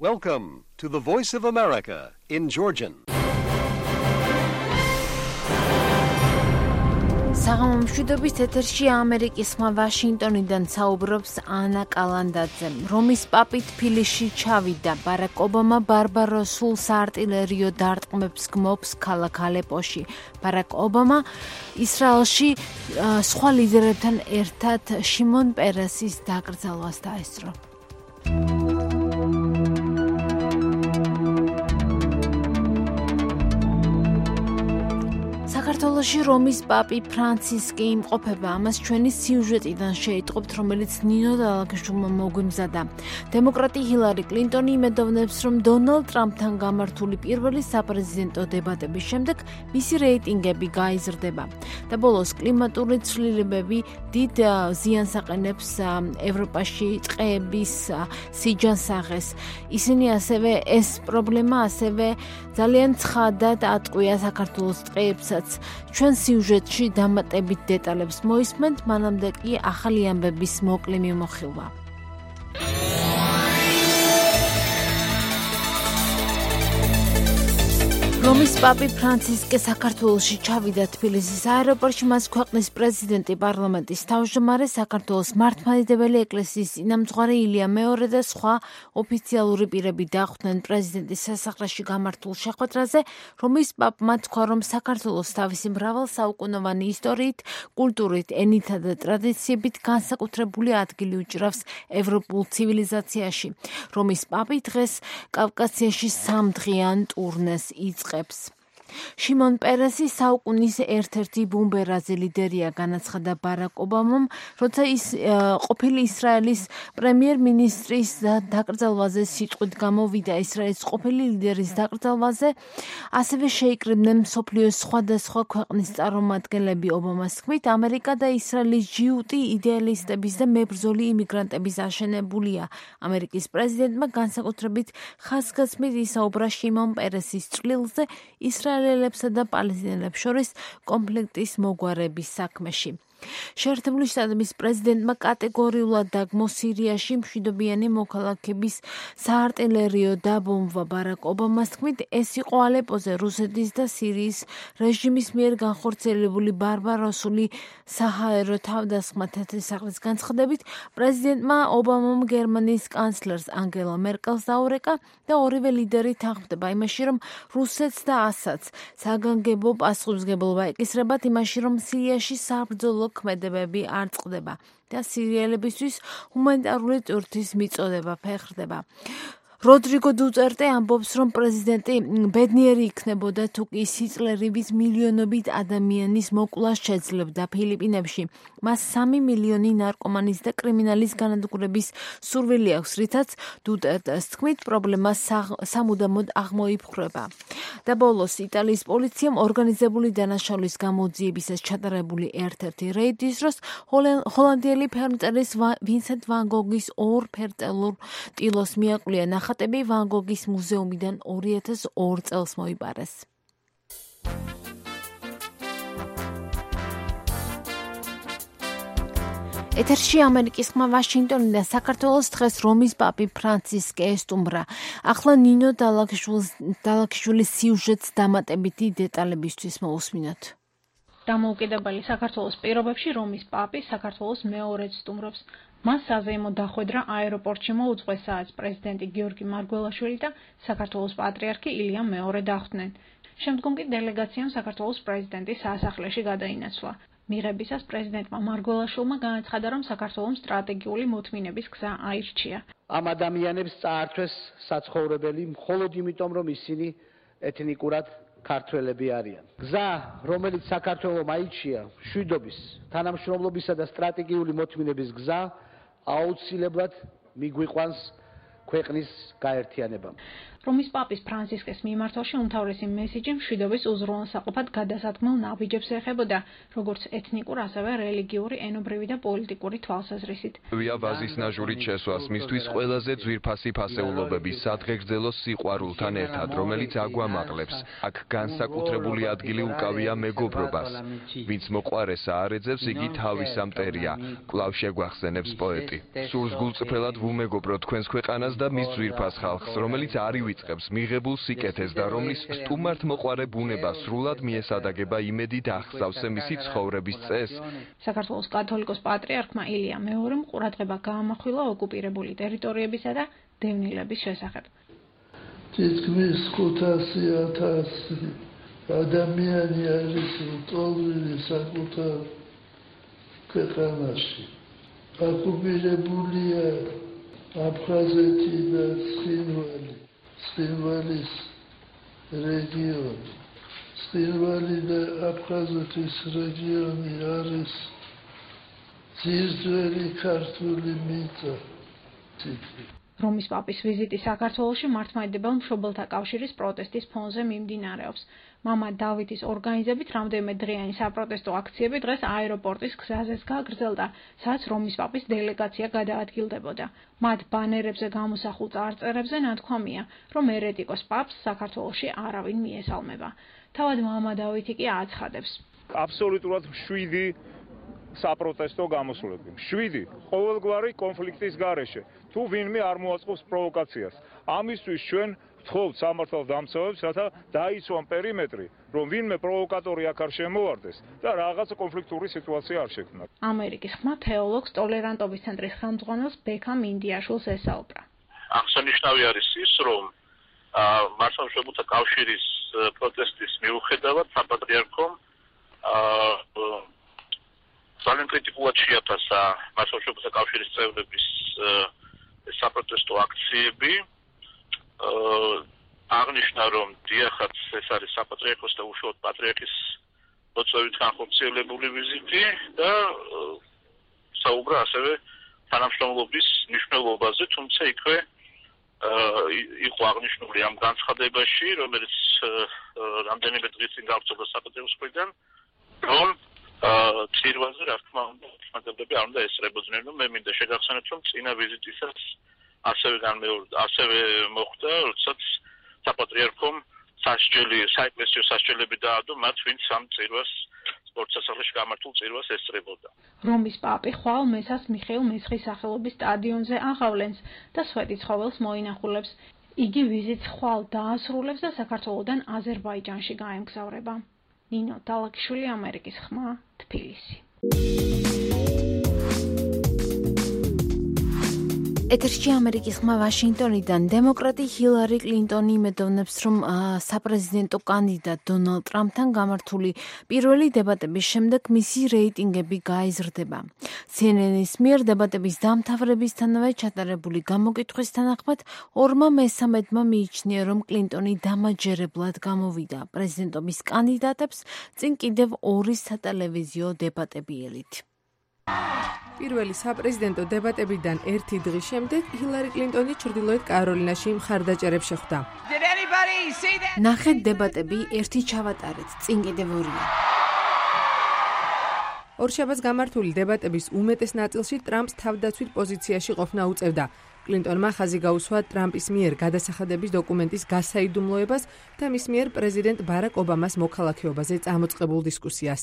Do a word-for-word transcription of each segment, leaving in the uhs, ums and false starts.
Welcome to the Voice of America in Georgian. საღამომშვიდობის ეთერში ამერიკის ხმა ვაშინგტონიდან საუბრობს ანა კალანდაძე. რომის პაპი თბილისში ჩავიდა. ბარაკ ობამა ბარბაროსულ საარტილერიო დარტყმებს გმობს ქალაქ ალეპოში. ბარაკ ობამა ისრაელში სხვა ლიდერებთან ერთად შიმონ პერესის დაკრძალვას დაესწრო. საქართველოში რომის პაპი ფრანცისკი იმყოფება. ამას ჩვენი სიუჟეტიდან შეიტყობთ, რომელიც ნინო დალაგაშვილმა მოგვიმზადა. დემოკრატი ჰილარი კლინტონი იმედოვნებს, რომ დონალდ ტრამპთან გამართული პირველი საპრეზიდენტო დებატების შემდეგ მისი რეიტინგები გაიზრდება. და ბოლოს კლიმატური ცვლილებები დიდ ზიანს აყენებს ევროპაში ტყეების სიჯანსაღეს. ისინი ასევე ეს პრობლემა ასევე ძალიან ცხადად ატყვია საქართველოს ტყეებსაც. ჩვენ სიუჟეტში დამატებით დეტალებს მოისმენთ, მანამდე კი ახალი ამბების მოკლე მიმოხილვა. რომის პაპი ფრანცისკე საქართველოში ჩავიდა. თბილისის აეროპორტში მას ქვეყნის პრეზიდენტი, პარლამენტის თავმჯდომარე, საქართველოს მართლმადიდებელი ეკლესიის წინამძღვარი ილია მეორე და სხვა ოფიციალური პირები დახვდნენ პრეზიდენტის სასახლეში გამართულ შეხვედრაზე. რომის პაპმა თქვა, რომ საქართველოს თავისი მრავალსაუკუნოვანი ისტორიით, კულტურით, ენითა და ტრადიციებით განსაკუთრებული ადგილი უჭრავს ევროპულ ცივილიზაციაში. რომის პაპი დღეს კავკასიაში სამდღიან ტურნეს იწყებს. შიმონ პერესი საუკუნის ერთ-ერთი ბუმბერაზი ლიდერია, განაცხადა ბარაკ ობამამ, როცა ის ყოფილი ისრაელის პრემიერ-მინისტრის დაკრძალვაზე სიტყვით გამოვიდა. ისრაელის ყოფილი ლიდერის დაკრძალვაზე ასევე შეიკრიბნენ მსოფლიოს სხვადასხვა ქვეყნის წარმომადგენლები. ობამას თქმით, ამერიკა და ისრაელის ჯიუტი იდეალისტების და მებრძოლი იმიგრანტების აშენებულია. ამერიკის პრეზიდენტმა განსაკუთრებით ხაზგასმით ისაუბრა შიმონ პერესის წვლილზე ისრაელელებსა და პალესტინელებს შორის კონფლიქტის მოგვარების საქმეში. შეერთებული შტატების პრეზიდენტმა კატეგორიულად დაგმო სირიაში მშვიდობიანი მოქალაქების საარტილერიო დაბომბვა. ბარაკ ობამას თქმით, ეს იყო ალეპოზე რუსეთის და სირიის რეჟიმის მიერ განხორციელებული ბარბაროსული საჰაერო თავდასხმა. თეთრი სახლის განცხადებით, პრეზიდენტმა ობამამ გერმანიის კანცლერს ანგელა მერკელს დაურეკა და ორივე ლიდერი თანხმდება იმაში, რომ რუსეთს და ასადს საგანგებო პასუხისმგებლობა ეკისრებათ იმაში, რომ სირიაში საბრძოლო ქმედებები არ წყდება და სირიელებისთვის ჰუმანიტარული ტვირთის მიწოდება ფეხრდება. როდრიგო დუტერტე ამბობს, რომ პრეზიდენტი ბედნიერი იქნებოდა თუ კი სიწლერივით მილიონობით ადამიანის მოკვლას შეძლებდა ფილიპინებში. მას სამი მილიონი ნარკომანის და კრიმინალის განადგურების სურვილი აქვს, რითაც დუტერტეს თქმით, პრობლემა სამუდამოდ აღმოიფხვრება. და ბოლოს იტალიის პოლიციამ ორგანიზებული დანაშაულის გამოძიებისას ჩატარებული ერთ-ერთი რეიდის დროს ჰოლანდიელი ფერმწერის ვინსენტ ვან გოგის ორ ფერწერულ ტილოს მიაყვლია. ნახატები ვან გოგის მუზეუმიდან ორი ათას ორ წელს მოიპარეს. ეთერში ამერიკის ხმა ვაშინგტონიდან საქართველოს დღეს რომის პაპი ფრანცისკე ესტუმრა. ახლა ნინო დალაგაშვილის სიუჟეტს დამატებითი დეტალებისთვის მოусმინოთ. დამოუკიდებელი საქართველოს პირობებში რომის პაპი საქართველოს მეორედ სტუმრობს. მას საზეიმო დახვედრა აეროპორტში მოუწყვეს, სადაც პრეზიდენტი გიორგი მარგველაშვილი და საქართველოს პატრიარქი ილია მეორე დახვდნენ. შემდგომ კი დელეგაციამ საქართველოს პრეზიდენტის სასახლეში გადაინაცვლა. მიღებისას პრეზიდენტმა მარგველაშვილმა განაცხადა, რომ საქართველოს სტრატეგიული მოთმინების გზა აირჩია. ამ ადამიანებს წაართვეს საცხოვრებელი მხოლოდ იმიტომ, რომ ისინი ეთნიკურად ქართველები არიან. გზა, რომელიც საქართველოს აირჩია, მშვიდობის, თანამშრომლობისა და სტრატეგიული მოთმინების გზა, აუცილებლად მიგვიყვანს ქვეყნის გაერთიანებამ. რომის პაპის ფრანცისკეს მიმართვაში უმთავრესი მესიჯი მშვიდობის უზრუნველსაყოფად გადასადგმელ ნაბიჯებს ეხებოდა, როგორც ეთნიკურ, ასევე რელიგიური, ენობრივი და პოლიტიკური თვალსაზრისით. ვია ვაზის ნაჟურით შესვას მისთვის ყველაზე ძვირფასი ფასეულობების სადღეგრძელო სიყვარულთან ერთად, რომელიც აგვამაღლებს. აქ განსაკუთრებული ადგილი უკავია მეგობრობას. ვინც მოყვარეს აარეძებს, იგი თავისა მტერია, კვლავ შეგვახსენებს პოეტი. სურს გულწრფელად ვუმეგობრო თქვენს ქვეყანას ეხმარებოდა მის ძვირფას ხალხს, რომელიც არ ივიწყებს მიღებულ სიკეთეს და რომლის სტუმართმოყვარე ბუნება სრულად მიესადაგება იმედი და აღსავსე მისი ცხოვრების წესს. საქართველოს კათოლიკოს პატრიარქმა ილია მეორემ ყურადღება გაამახვილა ოკუპირებული ტერიტორიებისა და დევნილების შესახებ. თითქმის ხუთასი ათასი ადამიანი არის ლტოლვილი საკუთარ ქვეყანაში. ოკუპირებულია აფხაზეთი და ცხინვალი, ცხინვალის რეგიონი. ცხინვალი და აფხაზეთის რეგიონი არის ძირძველი ქართული მიწა. რომის პაპის ვიზიტი საქართველოში მართლმადიდებელ მშობელთა კავშირის პროტესტის ფონზე მიმდინარეობს. მამა დავითის ორგანიზებით რამდენიმე დღიანი საპროტესტო აქციები დღეს აეროპორტის გზაზეც გაგრძელდა, სადაც რომის პაპის დელეგაცია გადაადგილდებოდა. მათ ბანერებზე გამოსახულ წარწერებზე ნათქვამია, რომ ერეტიკოს პაპს საქართველოში არავინ მიესალმება. თავად მამა დავითი კი აცხადებს. აბსოლუტურად შვიდი საპროტესტო გამოსვლები. შვიდი ყოველგვარი კონფლიქტის გარეშე. თუ ვინმე არ მოაწყობს პროვოკაციას. ამისთვის ჩვენ ვთხოვთ სამართალდამცავებს, რათა დაიცვან პერიმეტრი, რომ ვინმე პროვოკატორი აქ არ შემოვარდეს და რაღაცა კონფლიქტური სიტუაცია არ შექმნას. ამერიკის ხმა თეოლოგს ტოლერანტობის ცენტრის ხელმძღვანელს ბექამ ინდიაშვილს ესაუბრა. აღსანიშნავი არის ის, რომ მართლმადიდებლთა კავშირის პროტესტის მიუხედავად საპატრიარქომ ძალიან კრიტიკულად შეაფასა მართლმადიდებლთა კავშირის წევრების საპროტესტო აქციები. აღნიშნა, რომ დიახაც ეს არის საპატრიარქოს და უშუალოდ პატრიარქის მოწვევით განხორციელებული ვიზიტი და საუბრა ასევე თანამშრომლობის მნიშვნელობაზე, თუმცა იქვე იყო აღნიშნული ამ განცხადებაში, რომელიც რამდენიმე დღის წინ გავრცელდა საპატრიარქოს მხრიდან, რომ წირვაზე რა თქმა უნდა მართლმადიდებლები არ უნდა ესწრებოდნენ, რომ მე მინდა შეგახსენოთ, რომ წინა ვიზიტისას ასევე განმეორდა, ასევე მოხდა, როდესაც საპატრიარქომ სასჯელი, საეკლესიო სასჯელები დაადო მათ, ვინც ამ წირვას სპორტსასახლეში გამართულ წირვას ესწრებოდა. რომის პაპი ხვალ მესას მიხეილ მესხის სახელობის სტადიონზე აღავლენს და სვეტიცხოველს მოინახულებს. იგი ვიზიტს ხვალ დაასრულებს და საქართველოდან აზერბაიჯანში გაემგზავრება. ნინო დალაკიშვილი, ამერიკის ხმა, თბილისი. ეთერში ამერიკის ხმა ვაშინგტონიდან. დემოკრატი ჰილარი კლინტონი იმედოვნებს, რომ საპრეზიდენტო კანდიდატ დონალდ ტრამპთან გამართული პირველი დებატების შემდეგ მისი რეიტინგები გაიზრდება. სი ენ ენ-ის მიერ დებატების დამთავრებისთანავე ჩატარებული გამოკითხვის თანახმად ორმა მესამედმა მიიჩნია, რომ კლინტონი დამაჯერებლად გამოვიდა პრეზიდენტობის კანდიდატებს წინ კიდევ ორი სატელევიზიო დებატებიელით. პირველი საპრეზიდენტო დებატებიდან ერთი დღის შემდეგ ჰილარი კლინტონი ჩრდილოეთ კაროლინაში მხარდაჭერებს შეხვდა. ნახეთ დებატები, ერთი ჩავატარეთ, წინ კიდევ ორია. ორშაბათს გამართული დებატების უმეტეს ნაწილში ტრამპს თავდაცვით პოზიციაში ყოფნა უწევდა. კლინტონმა ხაზი გაუსვა ტრამპის მიერ გადასახადების დოკუმენტის გასაიდუმლოებას და მის მიერ პრეზიდენტ ბარაკ ობამას მოქალაქეობაზე წამოწყებულ დისკუსიას.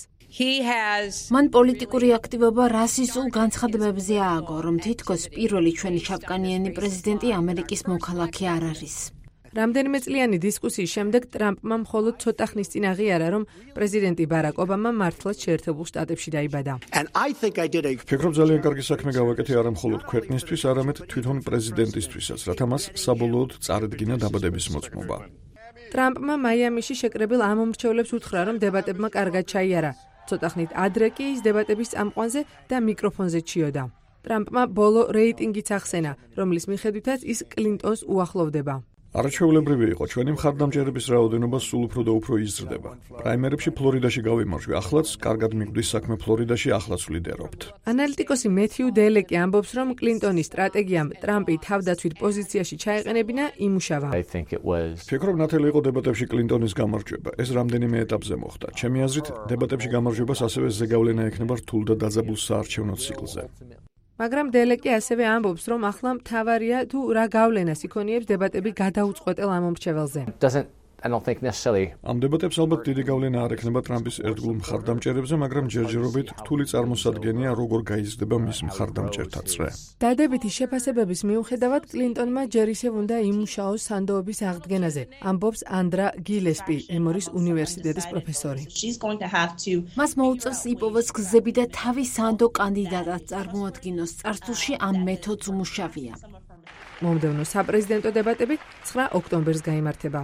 მან პოლიტიკური აქტივობა რასისტულ განცხადებებზე ააგო, რომ თითქოს პირველი ჩვენი შავკანიანი პრეზიდენტი ამერიკის მოქალაქე არ არის. რამდენიმე წლიანი დისკუსიის შემდეგ ტრამპმა მხოლოდ ცოტა ხნის წინ აღიარა, რომ პრეზიდენტი ბარაკ ობამა მართლაც შეერთებულ შტატებში დაიბადა. ვფიქრობ, ძალიან კარგი საქმე გავაკეთე არა მხოლოდ ქვეყნისთვის, არამედ თვითონ პრეზიდენტისთვისაც, რათა მას საბოლოოდ წარედგინა დაბადების მოწმობა. ტრამპმა მაიამიში შეკრებილ ამომრჩევლებს უთხრა, რომ დებატებმა კარგად ჩაიარა. ცოტა ხნით ადრე კი ის დებატების წამყვანზე და მიკროფონზე ჩიოდა. ტრამპმა ბოლო რეიტინგიც ახსენა, რომლის მიხედვითაც ის კლინტონს უახლოვდება. არაჩვეულებრივი იყო, ჩვენი მხარდამჭერების რაოდენობა სულ უფრო და უფრო იზრდება. პრაიმერებში ფლორიდაში გავიმარჯვე, ახლაც კარგად მიგვდის საქმე ფლორიდაში, ახლაც ვლიდერობთ. ანალიტიკოსი მეთიუ დელეკი ამბობს, რომ კლინტონის სტრატეგიამ ტრამპი თავდაცვით პოზიციაში ჩაეყენებინა იმუშავა. ვფიქრობ, ნათელი იყო დებატებში კლინტონის გამარჯვება. ეს რამდენიმე ეტაპზე მოხდა. ჩემი აზრით, დებატებში გამარჯვებას ასევე ზეგავლენა ექნება რთულ და დაძაბულ საარჩევნო ციკლზე. მაგრამ დელეკი ასევე ამბობს, რომ ახლა მთავარია თუ რა გავლენას იქონიებს დებატები გადაუწყვეტელ ამომრჩეველზე. I don't think necessarily. ამ დებატებს ალბათ დიდი გავლენა არ ექნება ტრამპის ერთგულ მხარდამჭერებზე, მაგრამ ჯერჯერობით რთული წარმოსადგენია, როგორ გაიზრდება მის მხარდამჭერთა წრე. დადებითი შეფასებების მიუხედავად, კლინტონმა ჯერ ისევ უნდა იმუშაოს სანდოების აღდგენაზე, ამბობს ანდრა გილესპი, ემორის უნივერსიტეტის პროფესორი. მას მოუწევს იპოვოს გზები და თავის სანდო კანდიდატად წარმოადგინოს. წარსულში ამ მეთოდს უმუშავია. მომდევნო საპრეზიდენტო დებატები ცხრა ოქტომბერს გაიმართება.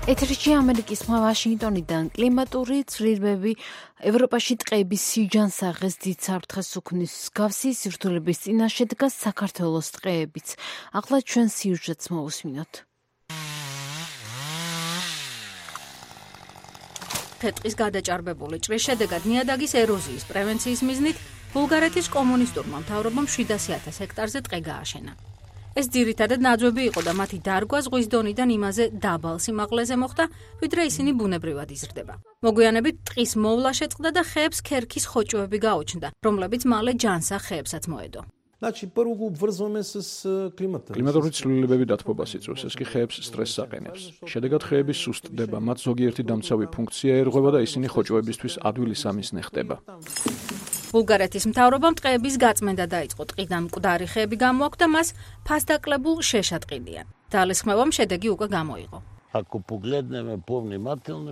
ეთერში ამერიკის ხმა ვაშინგტონიდან კლიმატური ცვლილებები ევროპაში ტყეების სიჯანსაღეს დიდ საფრთხეს უქმნის. მსგავსი სირთულების წინაშე დგას საქართველოს ტყეებიც. ახლა ჩვენ სიუჟეტს მოვუსმინოთ. თეთრის გადაჭარბებული ჭრის შედეგად ნიადაგის ეროზიის პრევენციის მიზნით ბულგარეთის კომუნისტურმა მთავრობამ შვიდასი ათას ჰექტარზე ტყე გააშენა. ეს ძირითადად ნაძვები იყო და მათი დარგვა ზღვის დონიდან იმაზე დაბალ სიმაღლეზე მოხდა, ვიდრე ისინი ბუნებრივად იზრდება. მოგვიანებით ტყის მოვლა შეწყდა და ხეებს ქერქის ხოჭოები გაუჩნდა, რომლებიც მალე ჯანსაღ ხეებსაც მოედო. კლიმატური ცვლილებები დათბობას იწვევს, ეს კი ხეებს სტრესს აყენებს. შედეგად ხეები სუსტდება, მათ ზოგიერთი დამცავი ფუნქცია ერღვება და ისინი ხოჭოებისთვის ადვილი სამიზნე ხდება. ბულგარეთის მთავრობამ ტყეების გაწმენდა დაიწყო. ტყიდან მკვდარი ხეები გამოაქვთ და მას ფასდაკლებულ შეშატყილიან. ძალისხმევამ შედეგი უკვე გამოიღო.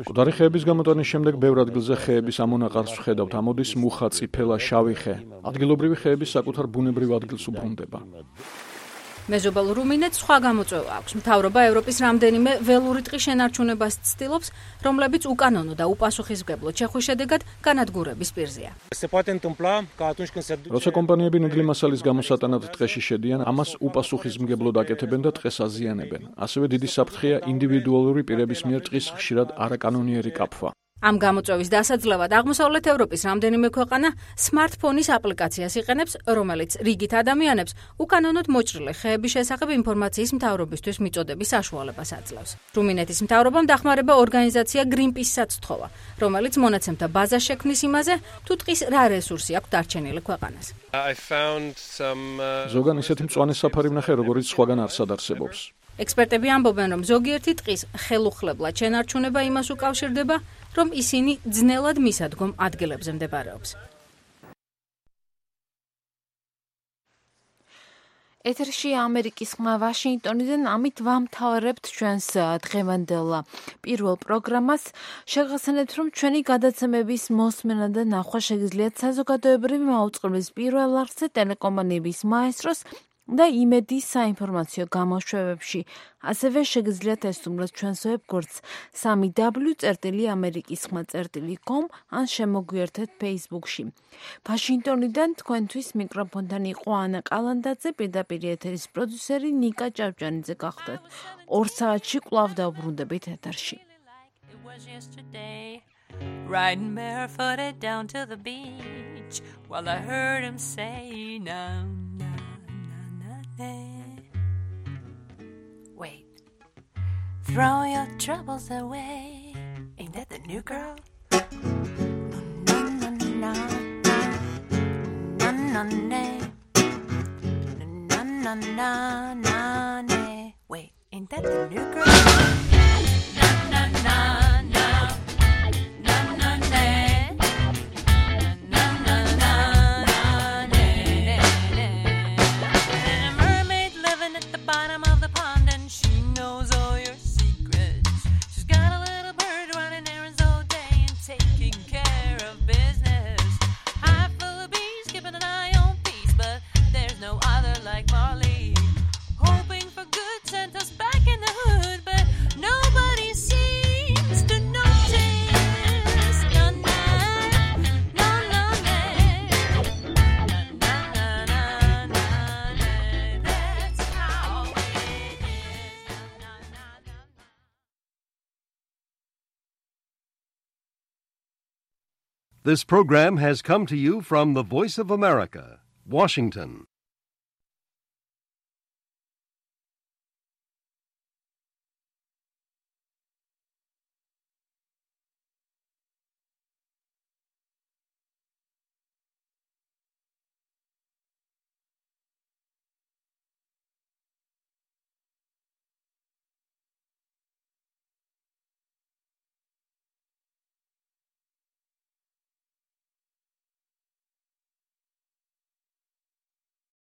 მკვდარი ხეების გამოტანის შემდეგ ბევრ ადგილზე ხეების ამონაყარს ვხედავთ, ამოდის მუხა, წიფელა, შავი ხე. ადგილობრივი ხეების საკუთარ ბუნებრივ ადგილს უბრუნდება. მეზობელ რუმინეთს სხვა გამოწვევა აქვს. მთავრობა ევროპის რამდენიმე ველური ტყის შენარჩუნებას ცდილობს, რომლებიც უკანონო და უპასუხისმგებლო ჩეხვის შედეგად განადგურების პირზეა. როცა კომპანიები ნედლი მასალის გამოსატანად ტყეში შედიან, ამას უპასუხისმგებლოდ აკეთებენ და ტყეს აზიანებენ. ასევე დიდი საფრთხეა ინდივიდუალური პირების მიერ ტყის ხშირად არაკანონიერი კაფვა. ამ გამოწვევის დასაძლევად აღმოსავლეთ ევროპის რამდენიმე ქვეყანა სმარტფონის აპლიკაციას იყენებს, რომელიც რიგით ადამიანებს უკანონოდ მოჭრილი ხეების შესახებ ინფორმაციის მთავრობისთვის მიწოდების საშუალებას აძლევს. რუმინეთის მთავრობამ დახმარება ორგანიზაცია Greenpeace-საც სთხოვა, რომელიც მონაცემთა ბაზას შექმნის იმაზე, თუ ტყის რა რესურსი აქვს დარჩენილი ქვეყანას. ზოგან ისეთი მწვანე საფარი ვნახე, როგორც სხვაგან არსად არსებობს. ექსპერტები ამბობენ, რომ ზოგიერთი ტყის ხელუხლებლად შენარჩუნება იმას უკავშირდება, რომ ისინი ძნელად მისადგომ ადგილებზე მდებარეობს. ეთერში ამერიკის ხმა ვაშინგტონიდან ამით ვამთავრებთ ჩვენს დღევანდელ პირველ პროგრამას. შეგახსენებთ, რომ ჩვენი გადაცემების მოსმენა და ნახვა შეგიძლიათ საზოგადოებრივი მაუწყებლის პირველ არხზე ტელეკომპანიების მაესტროს და იმედის საინფორმაციო გამოშვებებში. ასევე შეგიძლიათ ესტუმროთ ჩვენს ვებგვერდს სამი დაბლიუ წერტილი ამერიკის ხმა წერტილი კომ ან შემოგვიერთეთ Facebook-ში. ვაშინგტონიდან თქვენთვის მიკროფონთან იყო ანა კალანდაძე, პირდაპირ ეთერის პროდიუსერი ნიკა ჭავჭანიძე გახდათ. ორ საათში კვლავ დავბრუნდებით ეთერში. Riding barefooted down to the beach while I heard him say no. Wait, throw your troubles away. Ain't that the new girl? No, no, no, no, no, no, no, no, no, no. Wait, ain't that the new girl? No, no, no, no, no, no, no. This program has come to you from the Voice of America, Washington.